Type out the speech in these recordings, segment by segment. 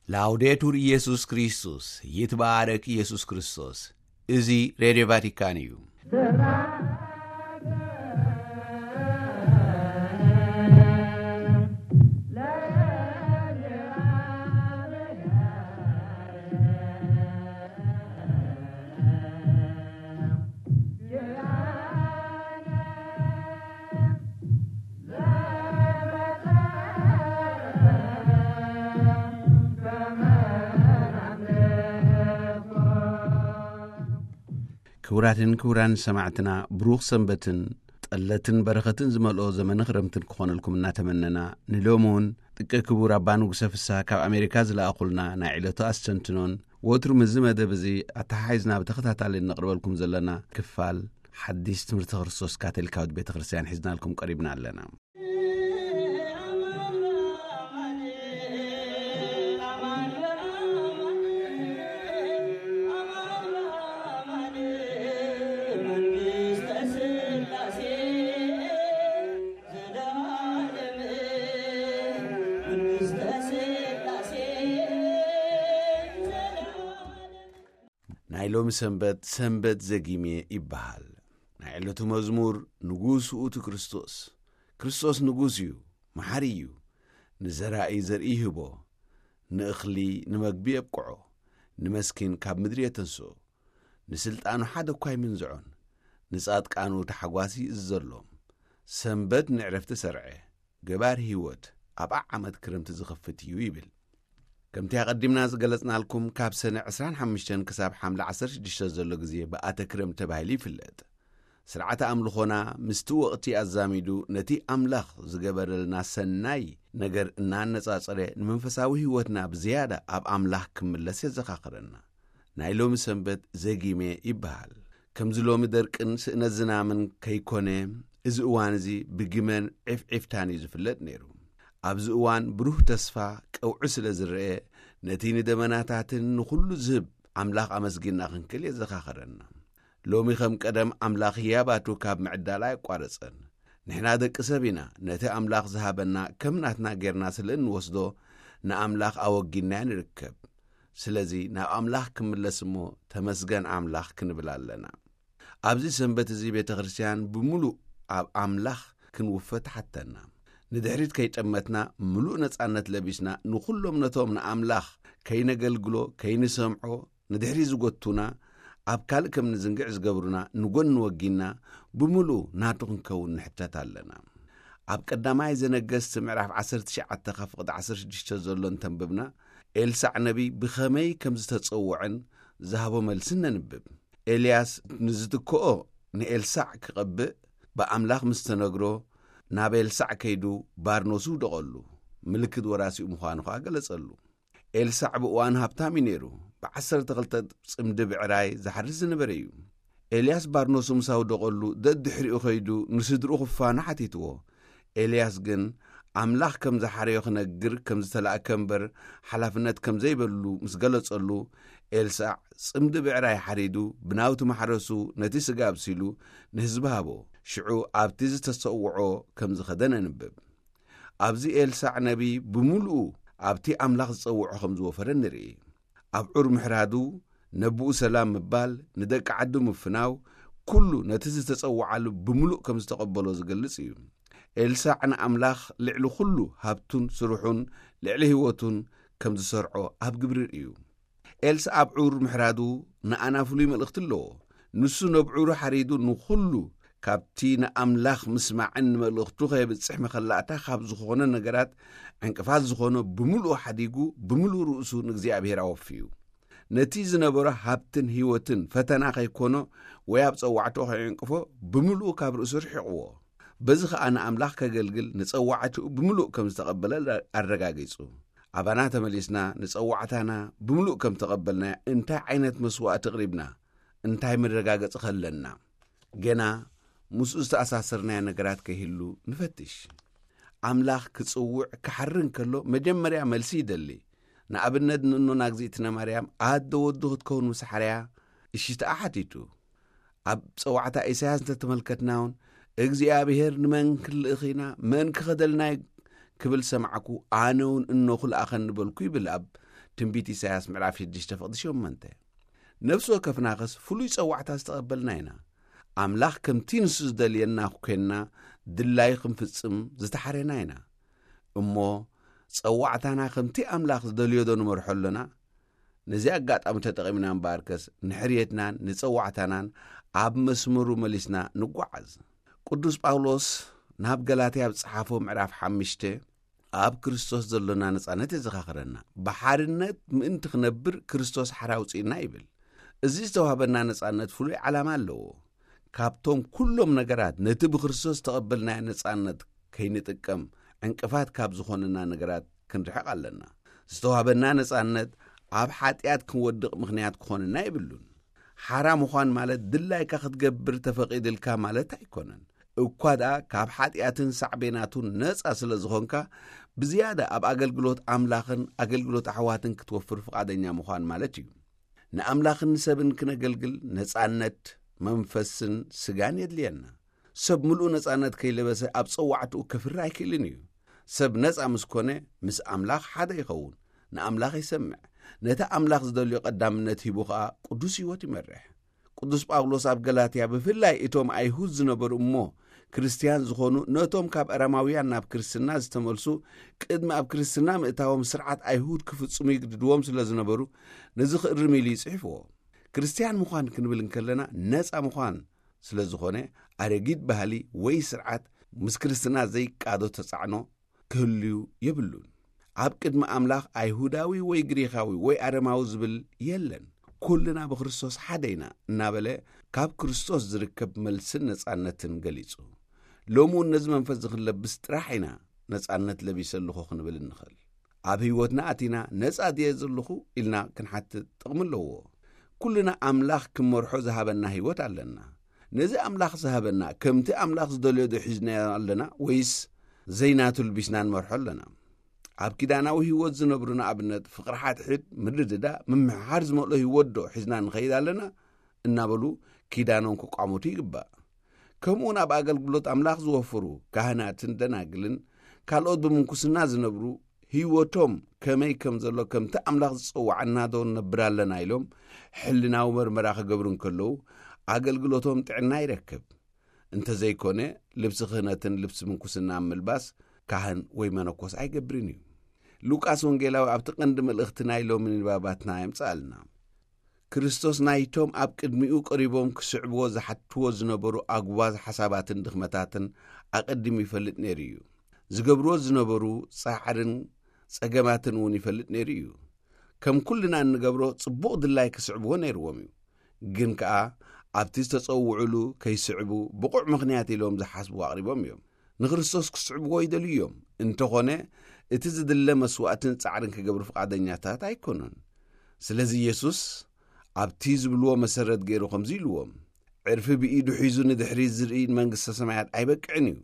ላውዴቱር ኢየሱስ ክርስቶስ፣ ይትባረክ ኢየሱስ ክርስቶስ። እዚ ሬድዮ ቫቲካን እዩ። ክቡራትን ክቡራን ሰማዕትና፣ ብሩኽ ሰንበትን ጠለትን በረኸትን ዝመልኦ ዘመነ ክረምትን ክኾነልኩም እናተመነና፣ ንሎሚ እውን ጥቀ ክቡር ኣባ ንጉሰ ፍስሃ ካብ ኣሜሪካ ዝለኣኹልና ናይ ዕለቱ ኣስተንትኖን ወትሩ ምስዚ መደብ እዚ ኣተሓሒዝና ብተኸታታሊ እነቕርበልኩም ዘለና ክፋል ሓዲስ ትምህርቲ ክርስቶስ ካቶሊካዊት ቤተ ክርስቲያን ሒዝናልኩም ቀሪብና ኣለና። ናይ ሎሚ ሰንበት፣ ሰንበት ዘጊሜ ይበሃል። ናይ ዕለቱ መዝሙር፣ ንጉስ ውእቱ ክርስቶስ። ክርስቶስ ንጉስ እዩ፣ መሓሪ እዩ። ንዘራኢ ዘርኢ ይህቦ፣ ንእኽሊ ንመግቢ የብቅዖ፣ ንመስኪን ካብ ምድሪ የተንስኦ። ንስልጣኑ ሓደ እኳ ኣይምንዝዖን፣ ንጻድቃኑ ታሕጓስ ይእዝዘሎም። ሰንበት ንዕረፍቲ ሰርዐ፣ ገባር ህይወት ኣብ ዓዓመት ክረምቲ ዝኸፍት እዩ ይብል። ከምቲ ኣቐዲምና ዝገለጽናልኩም፣ ካብ ሰነ ዕስራን ሓሙሽተን ክሳብ ሓምለ ዓሰርተ ሽዱሽተ ዘሎ ግዜ ብኣተ ክረምቲ ተባሂሉ ይፍለጥ። ስርዓተ ኣምልኾና ምስቲ ወቕቲ ኣዛሚዱ ነቲ ኣምላኽ ዝገበረልና ሰናይ ነገር እናነጻጸረ፣ ንመንፈሳዊ ህይወትና ብዝያዳ ኣብ ኣምላኽ ክምለስ የዘኻኽረና። ናይ ሎሚ ሰንበት ዘጊሜ ይበሃል። ከምዚ ሎሚ ደርቅን ስእነት ዝናምን ከይኮነ፣ እዚ እዋን እዚ ብጊመን ዒፍዒፍታን እዩ ዝፍለጥ ነይሩ። ኣብዚ እዋን ብሩህ ተስፋ ቀውዒ ስለ ዝረአ፣ ነቲ ንደመናታትን ንኹሉ ዝህብ ኣምላኽ ኣመስጊና ክንክል የዘኻኽረና። ሎሚ ከም ቀደም ኣምላኽ ህያባቱ ካብ ምዕዳል ኣየቋረጸን። ንሕና ደቂ ሰብ ኢና፣ ነቲ ኣምላኽ ዝሃበና ከም ናትና ጌርና ስለ እንወስዶ፣ ንኣምላኽ ኣወጊንናዮ ንርከብ። ስለዚ ናብ ኣምላኽ ክምለስ እሞ፣ ተመስገን ኣምላኽ ክንብል ኣለና። ኣብዚ ሰንበት እዚ ቤተ ክርስቲያን ብምሉእ ኣብ ኣምላኽ ክንውፈ ትሓተና። ንድሕሪት ከይጠመትና፣ ምሉእ ነጻነት ለቢስና፣ ንኹሎም ነቶም ንኣምላኽ ከይነገልግሎ፣ ከይንሰምዖ፣ ንድሕሪት ዝጎቱና፣ ኣብ ካልእ ከም ንዝንግዕ ዝገብሩና ንጎኒ ወጊንና፣ ብምሉኡ ናቱ ክንከውን ንሕተት ኣለና። ኣብ ቀዳማይ ዘነገስቲ ምዕራፍ ዓሰርተ ትሽዓተ ካብ ፍቕዲ ዓሰርተ ሽዱሽተ ዘሎ እንተንብብና፣ ኤልሳዕ ነቢይ ብኸመይ ከም ዝተጸውዐን ዝሃቦ መልስን ነንብብ። ኤልያስ ንዝትክኦ ንኤልሳዕ ክቐብእ ብኣምላኽ ምስ ተነግሮ፣ ናብ ኤልሳዕ ከይዱ ባርኖሱ ደቐሉ፣ ምልክት ወራሲኡ ምዃኑ ኸኣ ገለጸሉ። ኤልሳዕ ብእዋኑ ሃብታም እዩ ነይሩ። ብዓሰርተ ክልተ ጽምዲ ብዕራይ ዝሓርስ ዝነበረ እዩ። ኤልያስ ባርኖሱ ምስ ኣውደቐሉ፣ ደድሕሪኡ ኸይዱ ንስድርኡ ክፋኖ ሓቲትዎ። ኤልያስ ግን ኣምላኽ ከም ዝሓረዮ ክነግር ከም ዝተላእከ እምበር፣ ሓላፍነት ከም ዘይበሉ ምስ ገለጸሉ፣ ኤልሳዕ ጽምዲ ብዕራይ ሓሪዱ፣ ብናውቲ ማሕረሱ ነቲ ስጋ ኣብሲሉ ንህዝቢ ሃቦ። ሽዑ ኣብቲ ዝተሰውዖ ከም ዝኸደ ነንብብ። ኣብዚ ኤልሳዕ ነቢይ ብምሉኡ ኣብቲ ኣምላኽ ዝጸውዖ ከም ዝወፈረ ንርኢ። ኣብ ዑር ምሕራዱ፣ ነብኡ ሰላም ምባል፣ ንደቂ ዓዱ ምፍናው፣ ኩሉ ነቲ ዝተጸውዓሉ ብምሉእ ከም ዝተቐበሎ ዝገልጽ እዩ። ኤልሳዕ ንኣምላኽ ልዕሊ ኩሉ ሃብቱን ስርሑን ልዕሊ ህይወቱን ከም ዝሰርዖ ኣብ ግብሪ ርእዩ። ኤልሳዕ ኣብ ዑር ምሕራዱ ንኣና ፍሉይ መልእኽቲ ኣለዎ። ንሱ ነብዑሩ ሓሪዱ ንኹሉ ካብቲ ንኣምላኽ ምስማዕን ንመልእኽቱ ከየብጽሕ መኸላእታ ካብ ዝኾነ ነገራት ዕንቅፋት ዝኾኖ ብምሉኡ ሓዲጉ፣ ብምሉኡ ርእሱ ንእግዚኣብሔር ኣወፍዩ። ነቲ ዝነበሮ ሃብትን ህይወትን ፈተና ከይኮኖ ወይ ኣብ ጸዋዕትኡ ከይዕንቅፎ ብምሉኡ ካብ ርእሱ ርሒቕዎ። በዚ ኸኣ ንኣምላኽ ከገልግል ንጸዋዕትኡ ብምሉእ ከም ዝተቐበለ ኣረጋጊጹ። ኣባና ተመሊስና ንጸዋዕታና ብምሉእ ከም ተቐበልናዮ እንታይ ዓይነት መስዋእቲ ኣቕሪብና? እንታይ መረጋገጺ ከለና? ገና ምስኡ ዝተኣሳሰርናዮ ነገራት ከይህሉ ንፈትሽ። ኣምላኽ ክጽውዕ ክሓሪ እንከሎ መጀመርያ መልሲ ይደሊ። ንኣብነት ንእኖና እግዚኣብእነ ማርያም ኣደ ወዱ ክትከውን ምስ ሓርያ እሺታኣ ሓቲቱ። ኣብ ጸዋዕታ ኢሳያስ እንተተመልከትና እውን እግዚኣብሔር ንመን ክንልእኽ ኢና? መን ክኸደልና እዩ? ክብል ሰማዕኩ። ኣነ እውን እኖ ክልኣኸኒ በልኩ ይብል ኣብ ትንቢት ኢሳያስ ምዕራፍ ሽዱሽተ ፍቕዲ ሸሞንተ። ነፍሲ ወከፍናኸስ ፍሉይ ጸዋዕታ ዝተቐበልና ኢና። ኣምላኽ ከምቲ ንሱ ዝደልየና ኮይንና ድላዩ ክንፍጽም ዝተሓሬና ኢና። እሞ ጸዋዕታና ከምቲ ኣምላኽ ዝደልዮ ዶ ንመርሖ ኣሎና? ነዚ ኣጋጣሚ ተጠቒምና እምበኣርከስ ንሕርየትናን ንጸዋዕታናን ኣብ መስመሩ መሊስና ንጓዓዝ። ቅዱስ ጳውሎስ ናብ ገላትያ ኣብ ዝጸሓፎ ምዕራፍ ሓሙሽተ ኣብ ክርስቶስ ዘሎና ነጻነት የዘኻኽረና። ብሓርነት ምእንቲ ክነብር ክርስቶስ ሓራ ኣውጺእና ይብል። እዚ ዝተዋህበና ነጻነት ፍሉይ ዓላማ ኣለዎ። ካብቶም ኩሎም ነገራት ነቲ ብክርስቶስ ዝተቐበልናዮ ነጻነት ከይንጥቀም ዕንቅፋት ካብ ዝኾነና ነገራት ክንርሕቕ ኣለና። ዝተዋህበና ነጻነት ኣብ ሓጢኣት ክንወድቕ ምኽንያት ክኾነና የብሉን። ሓራ ምዃን ማለት ድላይካ ክትገብር ተፈቒድልካ ማለት ኣይኮነን። እኳ ደኣ ካብ ሓጢኣትን ሳዕቤናቱን ነጻ ስለ ዝኾንካ፣ ብዝያዳ ኣብ ኣገልግሎት ኣምላኽን ኣገልግሎት ኣሕዋትን ክትወፍር ፍቓደኛ ምዃን ማለት እዩ። ንኣምላኽን ንሰብን ክነገልግል ነጻነት መንፈስን ስጋን የድልየና። ሰብ ምሉእ ነጻነት ከይለበሰ ኣብ ጸዋዕትኡ ከፍሪ ኣይክእልን እዩ። ሰብ ነጻ ምስ ኮነ፣ ምስ ኣምላኽ ሓደ ይኸውን፣ ንኣምላኽ ይሰምዕ፣ ነቲ ኣምላኽ ዝደልዮ ቀዳምነት ሂቡ ኸኣ ቅዱስ ህይወት ይመርሕ። ቅዱስ ጳውሎስ ኣብ ገላትያ፣ ብፍላይ እቶም ኣይሁድ ዝነበሩ እሞ ክርስትያን ዝኾኑ፣ ነቶም ካብ ኣረማውያን ናብ ክርስትና ዝተመልሱ፣ ቅድሚ ኣብ ክርስትና ምእታዎም ስርዓት ኣይሁድ ክፍጽሙ ይግድድዎም ስለ ዝነበሩ፣ ነዚ ክእርም ኢሉ እዩ ጽሒፍዎ። ክርስትያን ምዃን ክንብል እንከለና፣ ነጻ ምዃን ስለ ዝኾነ፣ ኣረጊት ባህሊ ወይ ስርዓት ምስ ክርስትና ዘይቃዶ ተጻዕኖ ክህልዩ የብሉን። ኣብ ቅድሚ ኣምላኽ ኣይሁዳዊ ወይ ግሪኻዊ ወይ ኣረማዊ ዝብል የለን። ኩልና ብክርስቶስ ሓደ ኢና እናበለ ካብ ክርስቶስ ዝርከብ መልስን ነጻነትን ገሊጹ። ሎሚ እውን ነዚ መንፈስ እዚ ክንለብስ ጥራሕ ኢና ነጻነት ለቢሰ ኣለኹ ክንብል እንኽእል። ኣብ ህይወትና ኣቲና ነጻ ድየ ዘለኹ ኢልና ክንሓትት ጥቕሚ ኣለዎ። ኩልና ኣምላኽ ክመርሖ ዝሃበና ህይወት ኣለና። ነዚ ኣምላኽ ዝሃበና ከምቲ ኣምላኽ ዝደልዮ ዶ ሒዝናዮ ኣለና ወይስ ዘይናቱ ልቢስና ንመርሖ ኣለና? ኣብ ኪዳናዊ ህይወት ዝነብሩ ንኣብነት ፍቕሪ ሓድሕድ፣ ምርድዳ፣ ምምሕሓር ዝመልኦ ህይወት ዶ ሒዝና ንኸይድ ኣለና? እናበሉ ኪዳኖም ክቋመቱ ይግባእ። ከምኡውን ኣብ ኣገልግሎት ኣምላኽ ዝወፈሩ ካህናትን ደናግልን ካልኦት ብምንኩስና ዝነብሩ ህይወቶም ከመይ ከም ዘሎ ከምቲ ኣምላኽ ዝጸውዓና ዶ ንነብር ኣለና ኢሎም ሕልናዊ መርመራ ክገብሩ እንከለዉ ኣገልግሎቶም ጥዕና ይረክብ። እንተዘይኮነ ልብሲ ክህነትን ልብሲ ምንኩስና ምልባስ ካህን ወይ መነኮስ ኣይገብርን እዩ። ሉቃስ ወንጌላዊ ኣብቲ ቀንዲ መልእኽቲ ናይ ሎሚ ንባባትና የምጽኣልና። ክርስቶስ ናይቶም ኣብ ቅድሚኡ ቀሪቦም ክስዕብዎ ዝሓትዎ ዝነበሩ ኣጉባዝ ሓሳባትን ድኽመታትን ኣቐዲሙ ይፈልጥ ነይሩ እዩ። ዝገብርዎ ዝነበሩ ጻዕርን ጸገማትን እውን ይፈልጥ ነይሩ እዩ። ከም ኩልና እንገብሮ ጽቡቕ ድላይ ክስዕብዎ ነይርዎም እዩ። ግን ከኣ ኣብቲ ዝተጸውዑሉ ከይስዕቡ ብቑዕ ምኽንያት ኢሎም ዝሓስብዎ ኣቕሪቦም እዮም። ንክርስቶስ ክስዕብዎ ይደልዩ እዮም። እንተኾነ እቲ ዝድለ መስዋእትን ጻዕርን ክገብሩ ፍቓደኛታት ኣይኮኑን። ስለዚ ኢየሱስ ኣብቲ ዝብልዎ መሰረት ገይሩ ከምዚ ኢልዎም፣ ዕርፊ ብኢዱ ሒዙ ንድሕሪት ዝርኢ ንመንግስተ ሰማያት ኣይበቅዕን እዩ።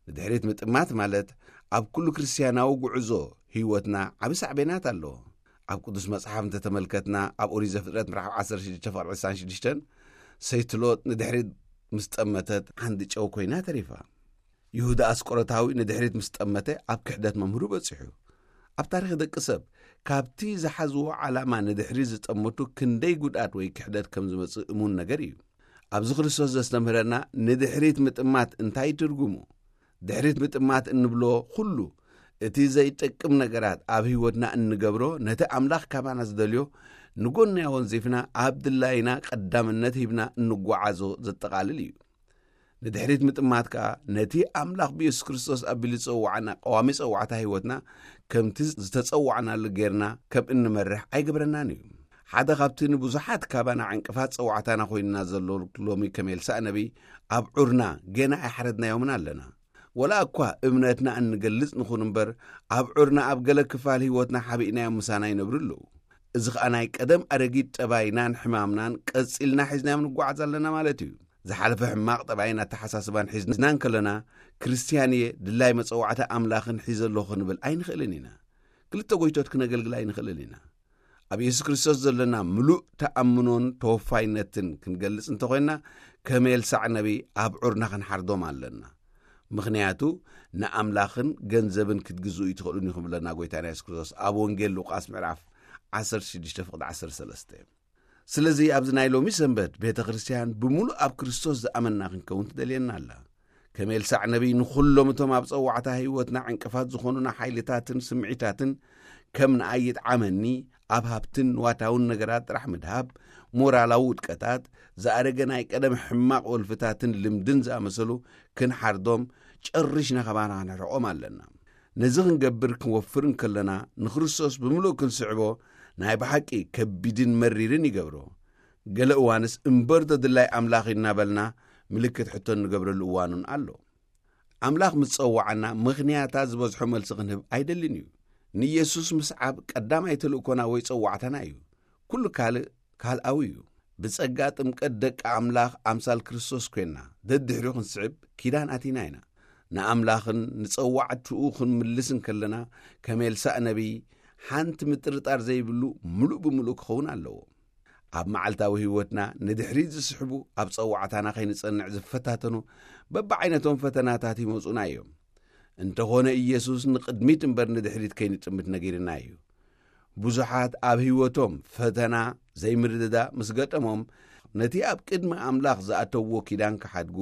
ንድሕሪት ምጥማት ማለት ኣብ ኩሉ ክርስትያናዊ ጉዕዞ ህይወትና ዓቢ ሳዕቤናት ኣለዎ። ኣብ ቅዱስ መጽሓፍ እንተተመልከትና ኣብ ኦሪት ዘፍጥረት ምዕራፍ ዓሰርተ ሽዱሽተ ፍቕሪ ዕስራን ሽዱሽተን ሰይቲ ሎጥ ንድሕሪት ምስ ጠመተት ዓንዲ ጨው ኮይና ተሪፋ። ይሁዳ ኣስቆሮታዊ ንድሕሪት ምስ ጠመተ ኣብ ክሕደት መምህሩ በጺሑ። ኣብ ታሪኽ ደቂ ሰብ ካብቲ ዝሓዝዎ ዓላማ ንድሕሪት ዝጠመቱ ክንደይ ጉድኣት ወይ ክሕደት ከም ዝመጽእ እሙን ነገር እዩ። ኣብዚ ክርስቶስ ዘስተምህረና ንድሕሪት ምጥማት እንታይ ትርጉሙ? ድሕሪት ምጥማት እንብሎ ኩሉ እቲ ዘይጠቅም ነገራት ኣብ ህይወትና እንገብሮ ነቲ ኣምላኽ ካባና ዝደልዮ ንጎንያ ወንዚፍና ኣብ ድላይና ቀዳምነት ሂብና እንጓዓዞ ዘጠቓልል እዩ። ንድሕሪት ምጥማት ከኣ ነቲ ኣምላኽ ብየሱስ ክርስቶስ ኣቢሉ ዝጸውዓና ቀዋሚ ጸዋዕታ ህይወትና ከምቲ ዝተጸዋዕናሉ ጌርና ከም እንመርሕ ኣይገብረናን እዩ። ሓደ ካብቲ ንብዙሓት ካባና ዕንቅፋት ጸዋዕታና ኮይንና ዘሎ ሎሚ ከም ኤልሳእ ነቢይ ኣብ ዑርና ገና ኣይሓረድናዮምን ኣለና። ወላ እኳ እምነትና እንገልጽ ንኹን እምበር ኣብ ዑርና ኣብ ገለ ክፋል ህይወትና ሓቢእናዮም ምሳና ይነብሩ ኣለዉ። እዚ ኸኣ ናይ ቀደም ኣረጊት ጠባይናን ሕማምናን ቀጺልና ሒዝናዮም ንጓዓዝ ኣለና ማለት እዩ። ዝሓለፈ ሕማቕ ጠባይን ኣተሓሳስባን ሒዝና እንከለና ክርስትያን እየ፣ ድላይ መጸዋዕታ ኣምላኽን ሒዘ ኣለኹ ክንብል ኣይንኽእልን ኢና። ክልተ ጎይቶት ክነገልግል ኣይንኽእልን ኢና። ኣብ የሱስ ክርስቶስ ዘለና ምሉእ ተኣምኖን ተወፋይነትን ክንገልጽ እንተኾይንና ከም ኤልሳዕ ነቢይ ኣብ ዑርና ክንሓርዶም ኣለና። ምኽንያቱ ንኣምላኽን ገንዘብን ክትግዝኡ ኣይትኽእሉን ኢኹም ብለና ጎይታና የሱስ ክርስቶስ ኣብ ወንጌል ሉቃስ ምዕራፍ ዓሰርተ ሽዱሽተ ፍቕዲ ዓሰርተ ሰለስተ። ስለዚ ኣብዚ ናይ ሎሚ ሰንበት ቤተ ክርስቲያን ብምሉእ ኣብ ክርስቶስ ዝኣመንና ክንከውን ትደልየና ኣላ። ከም ኤልሳዕ ነቢይ ንኹሎም እቶም ኣብ ጸዋዕታ ህይወትና ዕንቅፋት ዝኾኑና ሓይልታትን ስምዒታትን ከም ንኣይ ይጥዓመኒ ኣብ ሃብትን ንዋታውን ነገራት ጥራሕ ምድሃብ፣ ሞራላዊ ውድቀታት፣ ዝኣረገ ናይ ቀደም ሕማቕ ወልፍታትን ልምድን ዝኣመሰሉ ክንሓርዶም ጨሪሽና ከባና ክንርሕቖም ኣለና። ነዚ ክንገብር ክንወፍር እንከለና ንክርስቶስ ብምሉእ ክንስዕቦ ናይ ብሓቂ ከቢድን መሪርን ይገብሮ። ገለ እዋንስ እምበር ተድላይ ኣምላኽ እናበልና ምልክት ሕቶ እንገብረሉ እዋኑን ኣሎ። ኣምላኽ ምስ ጸዋዓና ምኽንያታት ዝበዝሖ መልሲ ክንህብ ኣይደልን እዩ። ንኢየሱስ ምስዓብ ቀዳማይ ተልእኮና ወይ ጸዋዕታና እዩ። ኩሉ ካልእ ካልኣዊ እዩ። ብጸጋ ጥምቀት ደቂ ኣምላኽ ኣምሳል ክርስቶስ ኮይንና ደድሕሪኡ ክንስዕብ ኪዳን ኣቲና ኢና። ንኣምላኽን ንጸዋዕትኡ ክንምልስ እንከለና ከም ኤልሳእ ነቢይ ሓንቲ ምጥርጣር ዘይብሉ ምሉእ ብምሉእ ክኸውን ኣለዎ። ኣብ መዓልታዊ ህይወትና ንድሕሪት ዝስሕቡ ኣብ ጸዋዕታና ከይንጸንዕ ዝፈታተኑ በብዓይነቶም ፈተናታት ይመጹና እዮም። እንተኾነ ኢየሱስ ንቕድሚት እምበር ንድሕሪት ከይንጥምት ነጊርና እዩ። ብዙሓት ኣብ ህይወቶም ፈተና ዘይምርድዳ ምስ ገጠሞም ነቲ ኣብ ቅድሚ ኣምላኽ ዝኣተውዎ ኪዳን ክሓድጉ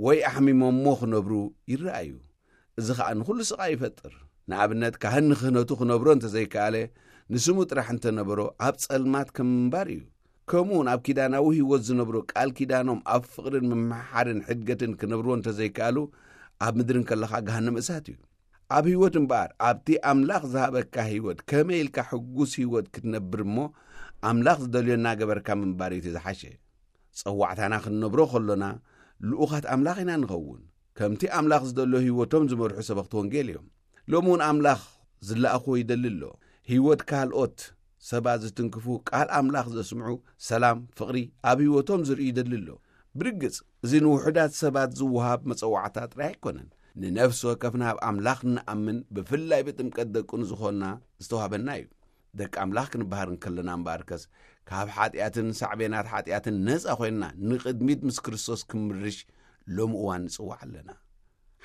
ወይ ኣሕሚሞሞ ክነብሩ ይረኣዩ። እዚ ኸኣ ንኹሉ ስቓይ ይፈጥር። ንኣብነት ካህን ንክህነቱ ክነብሮ እንተዘይከኣለ ንስሙ ጥራሕ እንተነበሮ ኣብ ጸልማት ከም ምንባር እዩ። ከምኡውን ኣብ ኪዳናዊ ህይወት ዝነብሩ ቃል ኪዳኖም ኣብ ፍቕርን ምምሕሓርን ሕድገትን ክነብርዎ እንተዘይከኣሉ ኣብ ምድሪ እንከለኻ ገሃነም እሳት እዩ። ኣብ ህይወት እምበኣር ኣብቲ ኣምላኽ ዝሃበካ ህይወት ከመይ ኢልካ ሕጉስ ህይወት ክትነብር እሞ ኣምላኽ ዝደልዮ እናገበርካ ምንባር እዩ እቲ ዝሓሸ። ጸዋዕታና ክንነብሮ ከሎና ልኡኻት ኣምላኽ ኢና ንኸውን። ከምቲ ኣምላኽ ዝደሎ ህይወቶም ዝመርሑ ሰበኽቲ ወንጌል እዮም። ሎሚ እውን ኣምላኽ ዝለኣኽዎ ይደሊ ኣሎ። ህይወት ካልኦት ሰባት ዝትንክፉ ቃል ኣምላኽ ዘስምዑ ሰላም፣ ፍቕሪ ኣብ ህይወቶም ዝርእዩ ይደሊ ኣሎ። ብርግጽ እዚ ንውሑዳት ሰባት ዝወሃብ መጸዋዕታ ጥራይ ኣይኮነን። ንነፍሲ ወከፍና ኣብ ኣምላኽ ንኣምን ብፍላይ ብጥምቀት ደቁ ንዝኾንና ዝተዋህበና እዩ። ደቂ ኣምላኽ ክንበሃር እንከለና እምበኣርከስ ካብ ሓጢኣትን ሳዕቤናት ሓጢኣትን ነጻ ኮይንና ንቕድሚት ምስ ክርስቶስ ክንምርሽ ሎሚ እዋን ንጽዋዕ ኣለና።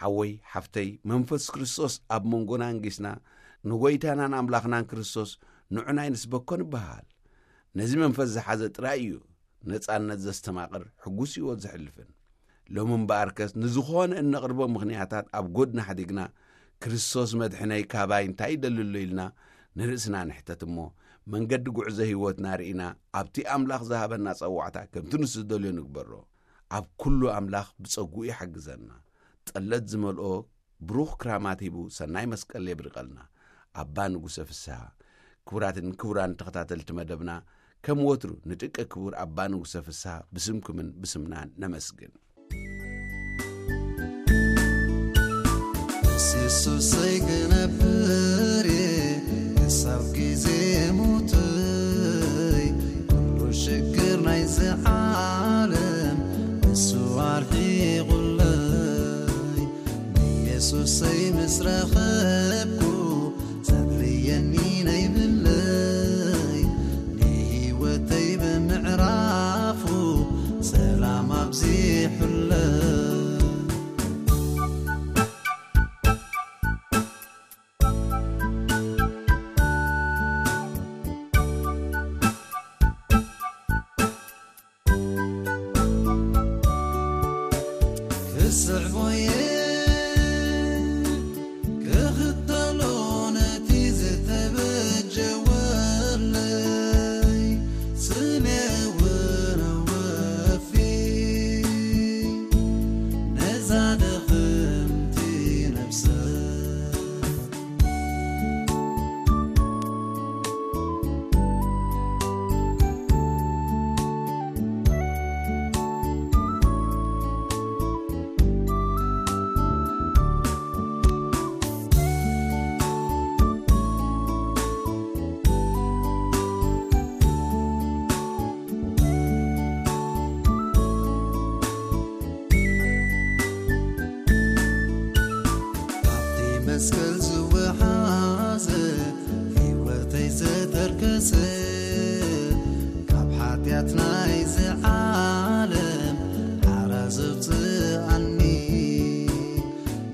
ሓወይ ሓፍተይ መንፈስ ክርስቶስ ኣብ መንጎና እንጊስና ንጎይታናን ኣምላኽናን ክርስቶስ ንዑናይ ንስበኮ ንበሃል። ነዚ መንፈስ ዝሓዘ ጥራይ እዩ ነጻነት ዘስተማቕር ሕጉስ ህይወት ዘሕልፍን። ሎሚ እምበኣርከስ ንዝኾነ እነቕርቦ ምኽንያታት ኣብ ጎድና ሓዲግና ክርስቶስ መድሕነይ ካባይ እንታይ ይደሊ ኣሎ ኢልና ንርእስና ንሕተት እሞ መንገዲ ጉዕዞ ህይወትና ርኢና ኣብቲ ኣምላኽ ዝሃበና ጸዋዕታ ከምቲ ንሱ ዝደልዮ ንግበሮ። ኣብ ኩሉ ኣምላኽ ብጸጉኡ ይሓግዘና። ጠለት ዝመልኦ ብሩኽ ክራማት ሂቡ ሰናይ መስቀል የብርቐልና። ኣባ ንጉሰ ፍስሃ። ክቡራትን ክቡራን ተኸታተልቲ መደብና ከም ወትሩ ንጥቀ ክቡር ኣባ ንጉሰ ፍስሃ ብስምኩምን ብስምናን ነመስግን። ንስሱሰይ ክነብር እየ ክሳብ ግዜ ሞተይ። ኩሉ ሽግር ናይዚ ዓለም ንሱ ኣርሒቑለይ። ንየሱሰይ ምስ ረኸብኩ ዘድልየኒ ነይብለይ። ንህይወተይ ብምዕራፉ ሰላም ኣብዚሑለይ። ክስዕቦየ ክኽተሎ ነቲ ዝተበጀወለይ ስሜ እውን ኣወፊ ነዛ ደኽምቲ ነብሰይ። ኣብቲ መስቀል ዝወሓዘ ህይወተይ ዘተርከሰ ካብ ሓጢኣት ናይዚ ዓለም ሓራ ዘውፅኣኒ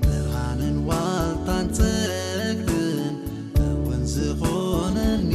ብርሃንን ዋልታን ጸግብን እውን ዝኾነኒ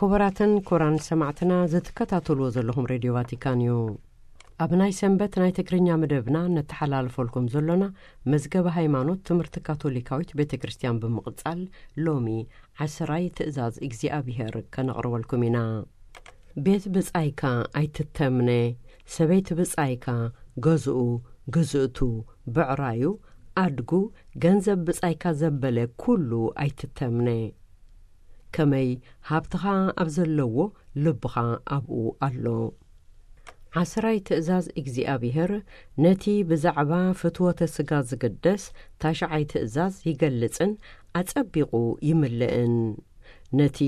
ክቡራትን ክቡራን ሰማዕትና፣ ዝትከታተልዎ ዘለኹም ሬድዮ ቫቲካን እዩ። ኣብ ናይ ሰንበት ናይ ትግርኛ መደብና ነተሓላልፈልኩም ዘሎና መዝገበ ሃይማኖት ትምህርቲ ካቶሊካዊት ቤተ ክርስቲያን ብምቕጻል፣ ሎሚ ዓስራይ ትእዛዝ እግዚኣብሔር ከነቕርበልኩም ኢና። ቤት ብጻይካ ኣይትተምነ፣ ሰበይቲ ብጻይካ፣ ገዝኡ፣ ግዝእቱ፣ ብዕራዩ፣ ኣድጉ፣ ገንዘብ ብጻይካ ዘበለ ኩሉ ኣይትተምነ። ከመይ ሃብትኻ ኣብ ዘለዎ ልብኻ ኣብኡ ኣሎ። ዓስራይ ትእዛዝ እግዚኣብሔር ነቲ ብዛዕባ ፍትወተ ስጋ ዝግደስ ታሽዓይ ትእዛዝ ይገልጽን ኣጸቢቑ ይምልእን። ነቲ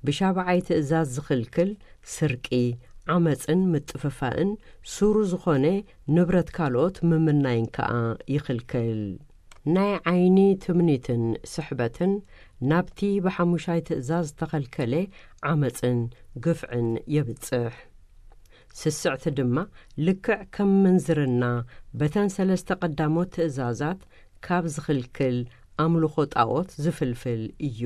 ብሻብዓይ ትእዛዝ ዝኽልክል ስርቂ፣ ዓመጽን ምጥፍፋእን ሱሩ ዝኾነ ንብረት ካልኦት ምምናይን ከኣ ይኽልክል። ናይ ዓይኒ ትምኒትን ስሕበትን ናብቲ ብሓሙሻይ ትእዛዝ ዝተኸልከለ ዓመጽን ግፍዕን የብጽሕ። ስስዕቲ ድማ ልክዕ ከም ምንዝርና በተን ሰለስተ ቀዳሞት ትእዛዛት ካብ ዝኽልክል ኣምልኾ ጣዖት ዝፍልፍል እዩ።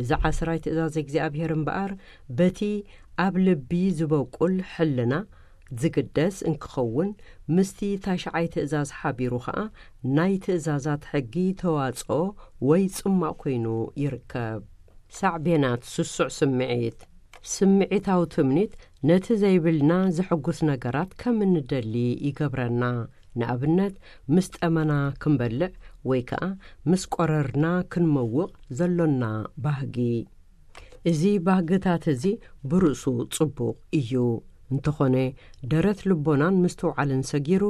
እዚ ዓስራይ ትእዛዝ እግዚኣብሔር እምበኣር በቲ ኣብ ልቢ ዝበቁል ሕልና ዝግደስ እንክኸውን፣ ምስቲ ታሽዓይ ትእዛዝ ሓቢሩ ኸኣ ናይ ትእዛዛት ሕጊ ተዋጽኦ ወይ ጽማቕ ኮይኑ ይርከብ። ሳዕቤናት ስሱዕ ስምዒት። ስምዒታዊ ትምኒት ነቲ ዘይብልና ዘሐጉስ ነገራት ከም እንደሊ ይገብረና። ንኣብነት፣ ምስ ጠመና ክንበልዕ ወይ ከኣ ምስ ቆረርና ክንመውቕ ዘሎና ባህጊ። እዚ ባህግታት እዚ ብርእሱ ጽቡቕ እዩ። እንተኾነ፣ ደረት ልቦናን ምስትውዓልን ሰጊሩ፣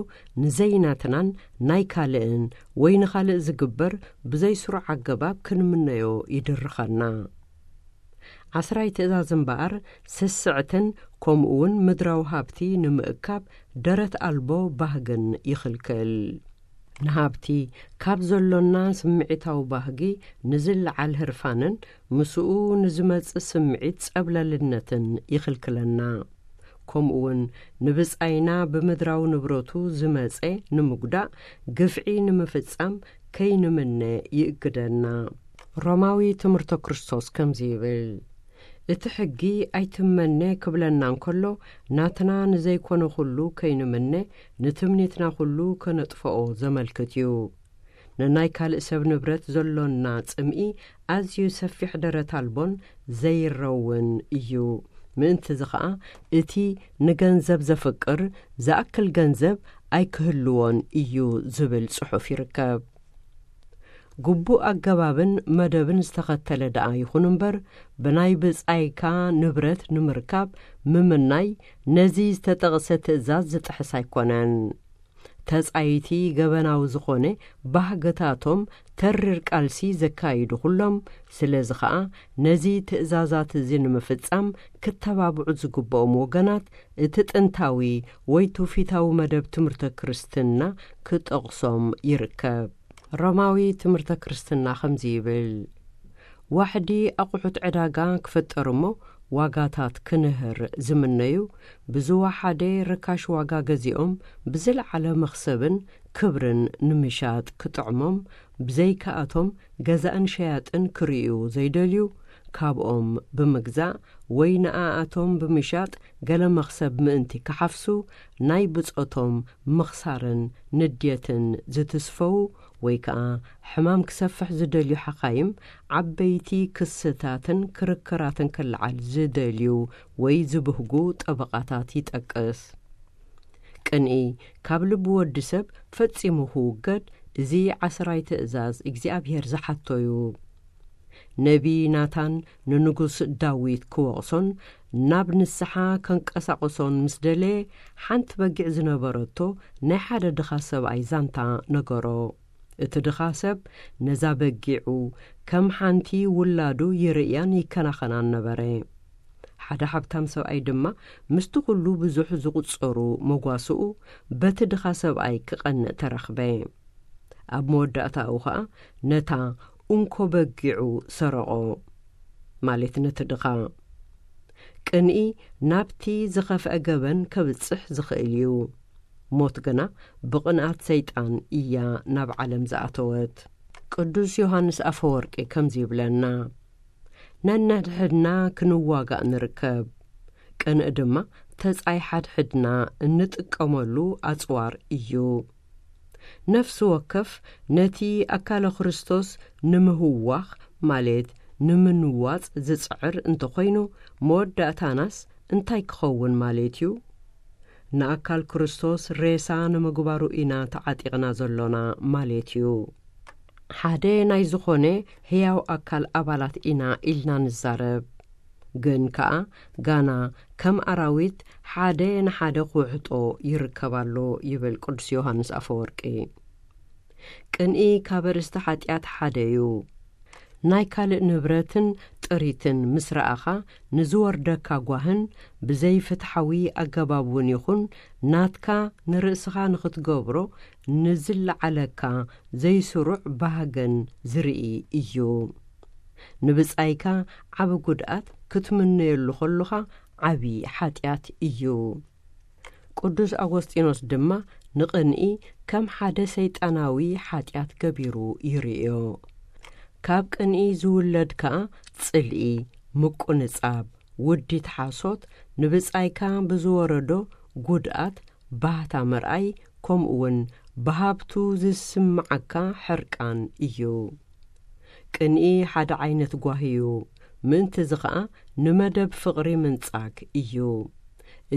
ንዘይናትናን ናይ ካልእን ወይ ንኻልእ ዝግበር ብዘይስሩዕ ኣገባብ ክንምነዮ ይድርኸና። ዓስራይ ትእዛዝ እምበኣር፣ ስስዕትን ከምኡውን ምድራዊ ሃብቲ ንምእካብ ደረት ኣልቦ ባህግን ይኽልክል። ንሃብቲ ካብ ዘሎና ስምዒታዊ ባህጊ ንዝለዓል ህርፋንን ምስኡ ንዝመጽእ ስምዒት ጸብለልነትን ይኽልክለና። ከምኡውን ንብጻይና ብምድራዊ ንብረቱ ዝመጸ ንምጉዳእ ግፍዒ ንምፍጻም ከይንምነ ይእግደና። ሮማዊ ትምህርተ ክርስቶስ ከምዚ ይብል፣ እቲ ሕጊ ኣይትመነ ክብለና እንከሎ፣ ናትና ንዘይኮነ ኩሉ ከይንምነ፣ ንትምኒትና ኩሉ ከነጥፍኦ ዘመልክት እዩ። ንናይ ካልእ ሰብ ንብረት ዘሎና ጽምኢ ኣዝዩ ሰፊሕ ደረት ኣልቦን ዘይረውን እዩ። ምእንትዚ ኸኣ፣ እቲ ንገንዘብ ዘፍቅር ዝኣክል ገንዘብ ኣይክህልዎን እዩ ዝብል ጽሑፍ ይርከብ። ግቡእ ኣገባብን መደብን ዝተኸተለ ደኣ ይኹን እምበር፣ ብናይ ብጻይካ ንብረት ንምርካብ ምምናይ ነዚ ዝተጠቕሰ ትእዛዝ ዝጥሕስ ኣይኮነን። ተጻይቲ ገበናዊ ዝኾነ ባህግታቶም ተሪር ቃልሲ ዘካይዱ ኩሎም፣ ስለዚ ኸኣ ነዚ ትእዛዛት እዚ ንምፍጻም ክተባብዑ ዝግብኦም ወገናት እቲ ጥንታዊ ወይ ትውፊታዊ መደብ ትምህርተ ክርስትና ክጠቕሶም ይርከብ። ሮማዊ ትምህርተ ክርስትና ከምዚ ይብል፣ ዋሕዲ ኣቑሑት ዕዳጋ ክፍጠር እሞ ዋጋታት ክንህር ዝምነዩ፣ ብዝወሓደ ርካሽ ዋጋ ገዚኦም ብዝለዓለ መኽሰብን ክብርን ንምሻጥ ክጥዕሞም፣ ብዘይካኣቶም ገዛእን ሸያጥን ክርእዩ ዘይደልዩ፣ ካብኦም ብምግዛእ ወይ ንኣኣቶም ብምሻጥ ገለ መኽሰብ ምእንቲ ክሓፍሱ፣ ናይ ብጾቶም ምኽሳርን ንድየትን ዝትስፈዉ ወይ ከኣ ሕማም ክሰፍሕ ዝደልዩ ሓኻይም፣ ዓበይቲ ክስታትን ክርክራትን ክለዓል ዝደልዩ ወይ ዝብህጉ ጠበቓታት ይጠቅስ። ቅንኢ ካብ ልቢ ወዲ ሰብ ፈጺሙ ክውገድ፣ እዚ ዓስራይ ትእዛዝ እግዚኣብሔር ዝሓቶ እዩ። ነቢ ናታን ንንጉስ ዳዊት ክወቕሶን ናብ ንስሓ ከንቀሳቕሶን ምስ ደለየ፣ ሓንቲ በጊዕ ዝነበረቶ ናይ ሓደ ድኻ ሰብኣይ ዛንታ ነገሮ። እቲ ድኻ ሰብ ነዛ በጊዑ ከም ሓንቲ ውላዱ ይርእያን ይከናኸናን ነበረ። ሓደ ሃብታም ሰብኣይ ድማ ምስቲ ኩሉ ብዙሕ ዝቑጸሩ መጓስኡ በቲ ድኻ ሰብኣይ ክቐንእ ተረኽበ። ኣብ መወዳእታኡ ኸኣ ነታ እንኮ በጊዑ ሰረቖ፣ ማለት ነቲ ድኻ። ቅንኢ ናብቲ ዝኸፍአ ገበን ከብጽሕ ዝኽእል እዩ። ሞት ግና ብቕንኣት ሰይጣን እያ ናብ ዓለም ዝኣተወት። ቅዱስ ዮሃንስ ኣፈወርቂ ከምዚ ይብለና፣ ነንሕድሕድና ክንዋጋእ ንርከብ። ቅንኢ ድማ ተጻይ ሓድሕድና እንጥቀመሉ ኣጽዋር እዩ። ነፍሲ ወከፍ ነቲ ኣካለ ክርስቶስ ንምህዋኽ፣ ማለት ንምንዋጽ ዝጽዕር እንተኾይኑ፣ መወዳእታናስ እንታይ ክኸውን ማለት እዩ? ንኣካል ክርስቶስ ሬሳ ንምግባሩ ኢና ተዓጢቕና ዘሎና ማለት እዩ። ሓደ ናይ ዝኾነ ህያው ኣካል ኣባላት ኢና ኢልና ንዛረብ። ግን ከኣ ጋና ከም ኣራዊት ሓደ ንሓደ ክውሕጦ ይርከብ ኣሎ ይብል ቅዱስ ዮሃንስ ኣፈወርቂ። ቅንኢ ካብ ኣርእስቲ ሓጢኣት ሓደ እዩ። ናይ ካልእ ንብረትን ጥሪትን ምስ ረኣኻ ንዝወርደካ ጓህን ብዘይፍትሓዊ ኣገባብ እውን ይኹን ናትካ ንርእስኻ ንኽትገብሮ ንዝለዓለካ ዘይስሩዕ ባህገን ዝርኢ እዩ። ንብጻይካ ዓቢ ጉድኣት ክትምነየሉ ከሎኻ ዓቢ ሓጢኣት እዩ። ቅዱስ ኣጎስጢኖስ ድማ ንቕንኢ ከም ሓደ ሰይጣናዊ ሓጢኣት ገቢሩ ይርእዮ። ካብ ቅንኢ ዝውለድ ከኣ ጽልኢ፣ ምቁንጻብ፣ ውዲት ሓሶት፣ ንብጻይካ ብዝወረዶ ጉድኣት ባህታ ምርኣይ፣ ከምኡውን ብሃብቱ ዝስምዓካ ሕርቃን እዩ። ቅንኢ ሓደ ዓይነት ጓሂ እዩ። ምእንትዚ ኸኣ ንመደብ ፍቕሪ ምንጻግ እዩ።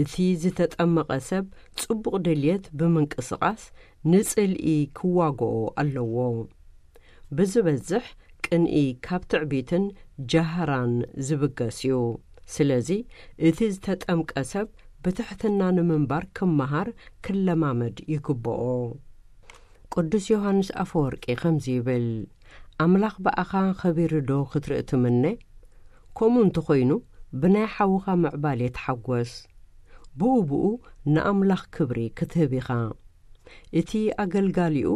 እቲ ዝተጠመቐ ሰብ ጽቡቕ ድልየት ብምንቅስቓስ ንጽልኢ ክዋግኦ ኣለዎ። ብዝበዝሕ ቅንኢ ካብ ትዕቢትን ጃህራን ዝብገስ እዩ። ስለዚ እቲ ዝተጠምቀ ሰብ ብትሕትና ንምንባር ክመሃር ክለማመድ ይግብኦ። ቅዱስ ዮሃንስ ኣፈወርቂ ከምዚ ይብል፣ ኣምላኽ ብኣኻ ኸቢሩ ዶ ክትርኢ ትምነ? ከምኡ እንተኾይኑ ብናይ ሓውኻ ምዕባል የተሓጎስ። ብኡ ብኡ ንኣምላኽ ክብሪ ክትህብ ኢኻ። እቲ ኣገልጋሊኡ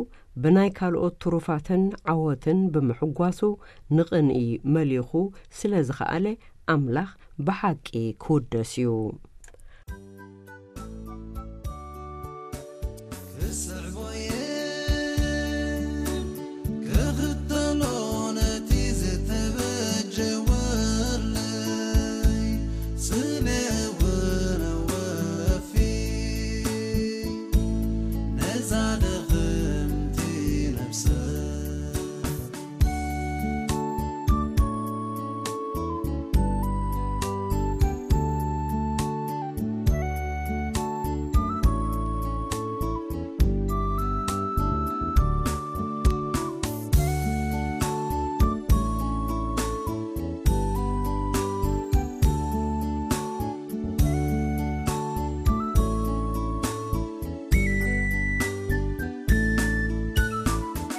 ብናይ ካልኦት ትሩፋትን ዓወትን ብምሕጓሱ ንቕንኢ መሊኹ ስለ ዝኸኣለ ኣምላኽ ብሓቂ ክውደስ እዩ። ክስዕቦየ ክኽተሎ ነቲ ዝተበጀወለይ ስለ እውን ወፊ ነዛ ደኽምቲ ነፍሰ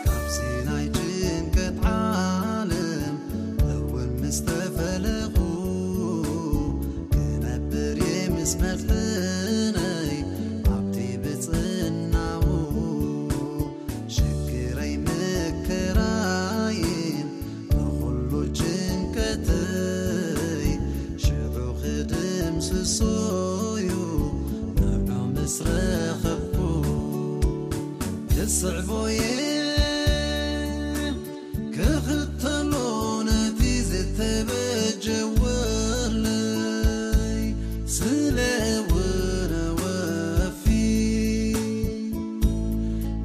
ካብዚ ናይ ጭንቀት ዓለም እውን ምስ ተፈለኹ፣ ክነብር እየ ምስ መድሕነይ ኣብቲ ብጽናኡ። ሽግረይ መከራይን ንኹሉ ጭንቀተይ ሽዑ ክድምስሶ እዩ ንዑ ምስ ረኸብኩ። ክስዕቦየ ክኽተሎ ነቲ ዝተበጀወለይ ስለ እውን ወፊ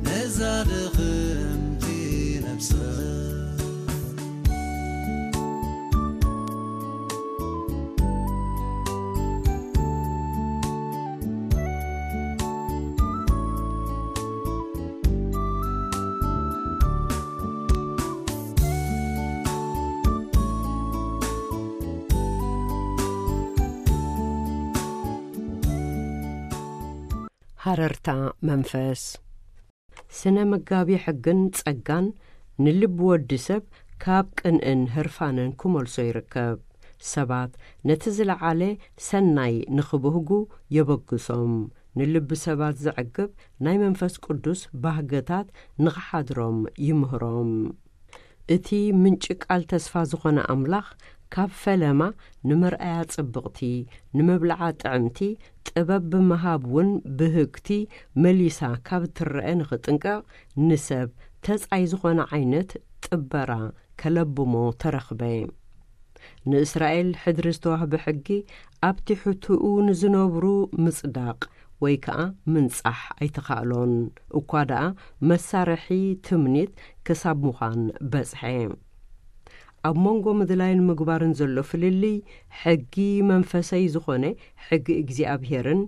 ነዛ ደኽምቲ ነፍሰ። ሃረርታ መንፈስ። ስነ መጋቢ ሕግን ጸጋን ንልቢ ወዲ ሰብ ካብ ቅንእን ህርፋንን ክመልሶ ይርከብ። ሰባት ነቲ ዝለዓለ ሰናይ ንኽብህጉ የበግሶም። ንልቢ ሰባት ዘዕግብ ናይ መንፈስ ቅዱስ ባህግታት ንኽሓድሮም ይምህሮም። እቲ ምንጪ ቃል ተስፋ ዝኾነ ኣምላኽ፣ ካብ ፈለማ ንመርኣያ ጽብቕቲ፣ ንመብልዓ ጥዕምቲ፣ ጥበብ ብምሃብ እውን ብህግቲ መሊሳ ካብ እትረአ ንኽጥንቀቕ፣ ንሰብ ተጻይ ዝኾነ ዓይነት ጥበራ ከለብሞ ተረኽበ። ንእስራኤል ሕድሪ ዝተዋህበ ሕጊ ኣብ ትሕትኡ ንዝነብሩ ምጽዳቕ ወይ ከኣ ምንጻሕ ኣይተኻእሎን። እኳ ደኣ መሳርሒ ትምኒት ክሳብ ምዃን በጽሐ። ኣብ መንጎ ምድላይን ምግባርን ዘሎ ፍልልይ፣ ሕጊ መንፈሰይ ዝኾነ ሕጊ እግዚኣብሄርን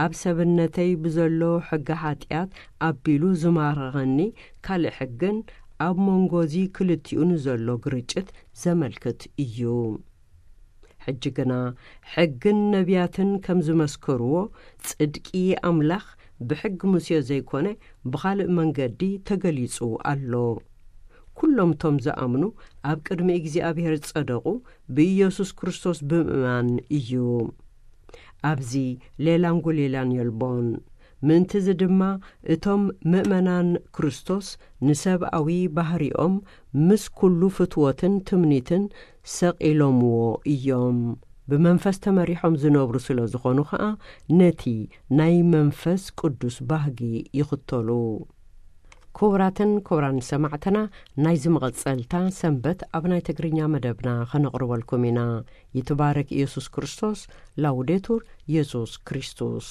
ኣብ ሰብነተይ ብዘሎ ሕጊ ሓጢኣት ኣቢሉ ዝማረኸኒ ካልእ ሕግን ኣብ መንጎ እዚ ክልቲኡ ንዘሎ ግርጭት ዘመልክት እዩ። ሕጂ ግና ሕግን ነቢያትን ከም ዝመስከርዎ፣ ጽድቂ ኣምላኽ ብሕጊ ሙሴ ዘይኮነ ብኻልእ መንገዲ ተገሊጹ ኣሎ። ኩሎም እቶም ዝኣምኑ ኣብ ቅድሚ እግዚኣብሔር ዝጸደቑ ብኢየሱስ ክርስቶስ ብምእማን እዩ። ኣብዚ ሌላን ጐሌላን የልቦን። ምእንቲ እዚ ድማ እቶም ምእመናን ክርስቶስ ንሰብኣዊ ባህሪኦም ምስ ኩሉ ፍትወትን ትምኒትን ሰቒሎምዎ እዮም። ብመንፈስ ተመሪሖም ዝነብሩ ስለ ዝኾኑ ኸኣ ነቲ ናይ መንፈስ ቅዱስ ባህጊ ይኽተሉ። ክቡራትን ክቡራን ሰማዕትና፣ ናይዚ መቐጸልታ ሰንበት ኣብ ናይ ትግርኛ መደብና ኸነቕርበልኩም ኢና። ይትባረክ ኢየሱስ ክርስቶስ። ላውዴቱር ኢየሱስ ክርስቶስ።